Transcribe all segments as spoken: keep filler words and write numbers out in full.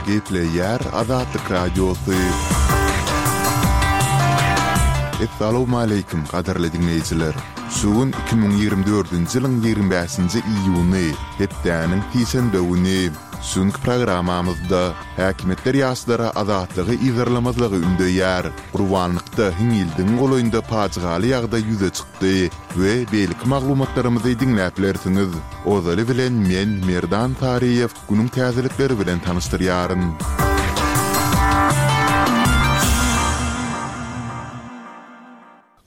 Gepleýär Azatlyk Radiosy. Essalawmaleýkim, gadyrly diňleýjiler! Şu gün iki müň ýigrimi dördünji ýylyň ýigrimi bäşinji iýuny, hepdäniň sişenbe güni. Şu günki programmamyzda häkimiýetler ýaşlara azatlygy yzarlamazlygy ündeýär. Gurbanlykda hiňňildigiň golaýynda pajygaly ýagdaý ýüze çykdy we beýleki maglumatlarymyzy diňläp bilersiňiz. Ozaly bilen men, Merdan Saryýew, günüň täzelikleri bilen tanyşdyrýaryn.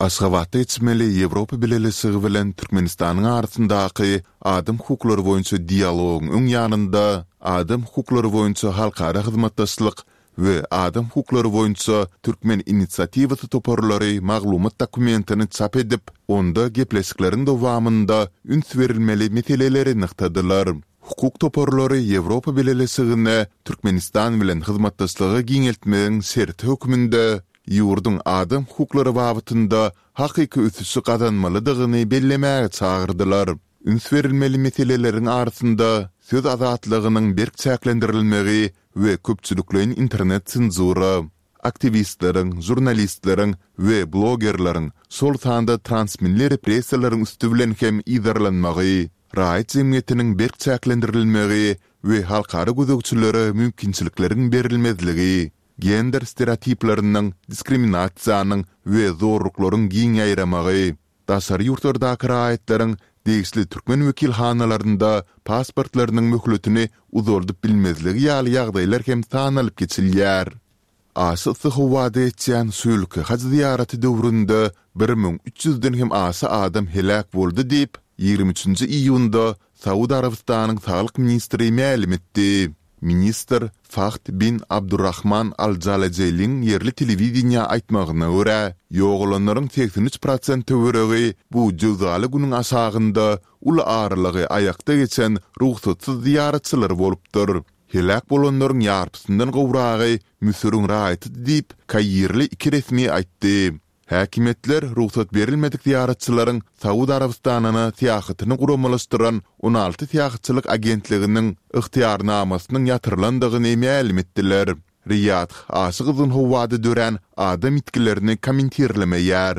Aşgabatda geçmeli Ýewropa Bileleşigi bilen Türkmenistanyň arasyndaky adam hukuklary boýunça dialogyň öň ýanynda Adam hukuklary boýunça halkara hyzmatdaşlyk we Adam hukuklary boýunça türkmen inisiatiwasy toparlary maglumat dokumentini çap edip, onda gepleşikleriň dowamynda üns berilmeli meseleleri nygtadylar. Hukuk toparlary Ýewropa Bileleşigine Türkmenistan bilen hyzmatdaşlygy giňeltmegiň şerti hökmünde ýurduň adam hukuklary babatynda hakyky ösüşi gazanmalydygyny bellemäge çagyrdylar. Üns berilmeli meseleleriň arasynda söz azatlygynyň berk çäklendirilmegi we köpçülikleýin internet senzura, aktiwistleriň, žurnalistleriň we blogerleriň, şol sanda transmilli repressiýalaryň üsti bilen hem yzarlanmagy, raýat jemgyýetiniň berk çäklendirilmegi we halkara gözegçilere mümkinçilikleriň berilmezligi, gender stereotipleriniň, diskriminasiýanyň we zorluklaryň giň ýaýramagy, daşary ýurtlardaky raýatlaryň degişli türkmen wekilhanalarynda pasportlarynyň möhletini uzaldyp bilmezligi ýaly ýagdaýlar hem sanalyp geçilýär. Aşa yssy howada geçýän şu ýylky haj zyýaraty döwründe bir müň üç ýüzden hem aşa adam heläk boldy diýip, ýigrimi üçünji iýunda Saud Arabystanyň saglyk ministri mälim etdi. Ministr Fahd bin Abdurrahman Al-Jalajeliň ýerli telewideniýä aýtmagyna görä, ýogalanlaryň segsen üç prosent töweregi bu jöwzaly günüň aşagynda uly aralygy aýakda geçen rugsatsyz zyýaratçylar bolupdyr. Heläk bolanlaryň ýarpysyndan gowragy Müsüriň raýatydy diýip, kairli iki resmi aýtdy. Häkimiýetler rugsat berilmedik zyýaratçylaryň Saud Arabystanyna syýahatyny guramalaşdyran on alty syýahatçylyk agentliginiň ygtyýarnamasynyň ýatyrylandygyny mälim etdiler. Riýadh aşa gyzgyn howada dörän adam ýitgilerini kommentirlemeýär.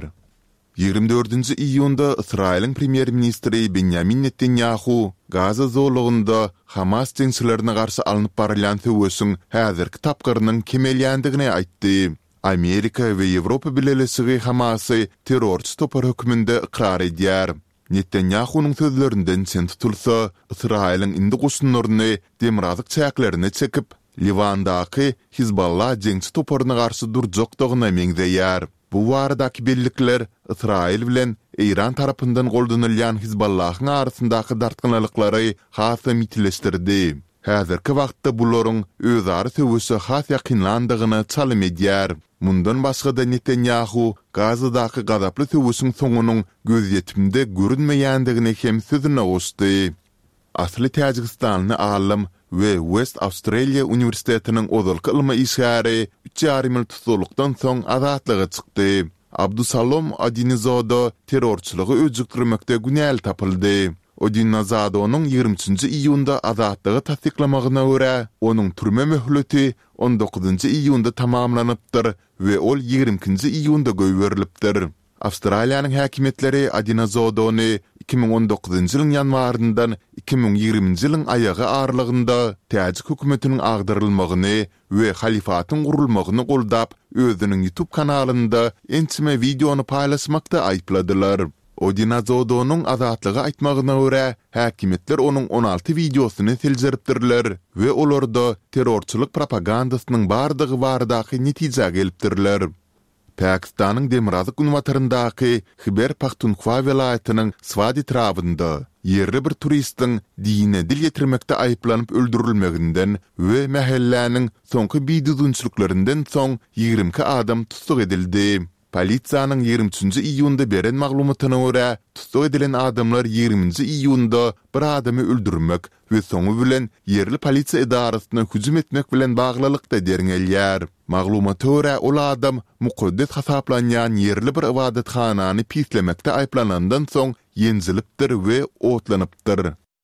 Ýigrimi dördünji iýunda Ysraýylyň premýer-ministri Benýamin Netanýahu Gaza zolagynda Hamas jeňçilerine garşy alnyp barylýan söweşiň häzirki tapgyrynyň kemelýändigini aýtdy. Amerika we Ýewropa Bileleşigi Hamasy terrorçy topar hökmünde ykrar edýär. Netanýahunyň sözlerinden çen tutulsa, Ysraýylyň indi goşunlaryny demirgazyk çäklerine çekip, Liwandaky Hizballah jeňçi toparyna garşy durjakdygyna meňzeýär. Bu baradaky bellikler Ysraýyl bilen Eýran tarapyndan goldanylýan Hizballahyň arasyndaky dartgynlyklary hasam ýitileşdirdi. Häzirki wagtda bularyň özara söweşe has ýakynlandygyna çalym edýär. Mundan başga-da Netanýahu Gazadaky gazaply söweşiň soňunyň gözýetimde görünmeýändigini hem sözüne goşdy. Asly täjigistanly alym we West Australia uniwersitetiniň ozalky ylmy işgäri üç ýarym ýyl tussaglykdan soň azatlyga çykdy. Abdusalom Odinizoda terrorçylygy öjükdirmekde günäli tapyldy. Odinazadonyň ýigrimi üçünji iýunda azatlygy tassyklamagyna görä, onuň türme möhleti on dokuzynjy iýunda tamamlanypdyr we ol ýigrimi ikinji iýunda goýberilipdir. Awstraliýanyň häkimiýetleri Odinazodony iki müň on dokuzynjy ýylyň ýanwaryndan iki müň ýigriminji ýylyň aýagy aralygynda täjik hökümetiniň agdarylmagyny we halyfatyň gurulmagyny goldap, özüniň YouTube kanalynda ençeme wideony paýlaşmakda aýypladylar. Odinazodonyň Azatlyga aýtmagyna görä, häkimiýetler onuň on alty wideosyny seljeripdirler we olarda terrorçylyk propagandasynyň bardygy baradaky netijä gelipdirler. Pakistanyň demirgazyk-günbataryndaky Hiber-Pahtunhwa welaýatynyň Swat etrabynda ýerli bir turistiň dine dil ýetirmekde aýyplanyp öldürilmeginden we mähelläniň soňky bidüzgünçiliklerinden soň ýigrimi iki adam tussag edildi. Polisiýanyň ýigrimi üçünji iýunda beren maglumatyna görä, tussag edilen adamlar ýigriminji iýunda bir adamy öldürmek we soňy bilen ýerli polisiýa edarasyna hüjüm etmek bilen baglylykda derňelýär. Maglumata görä, ol adam mukaddes hasaplanýan ýerli bir ybadathanany pislemekde aýyplanandan soň ýenjilipdir we otlanypdyr.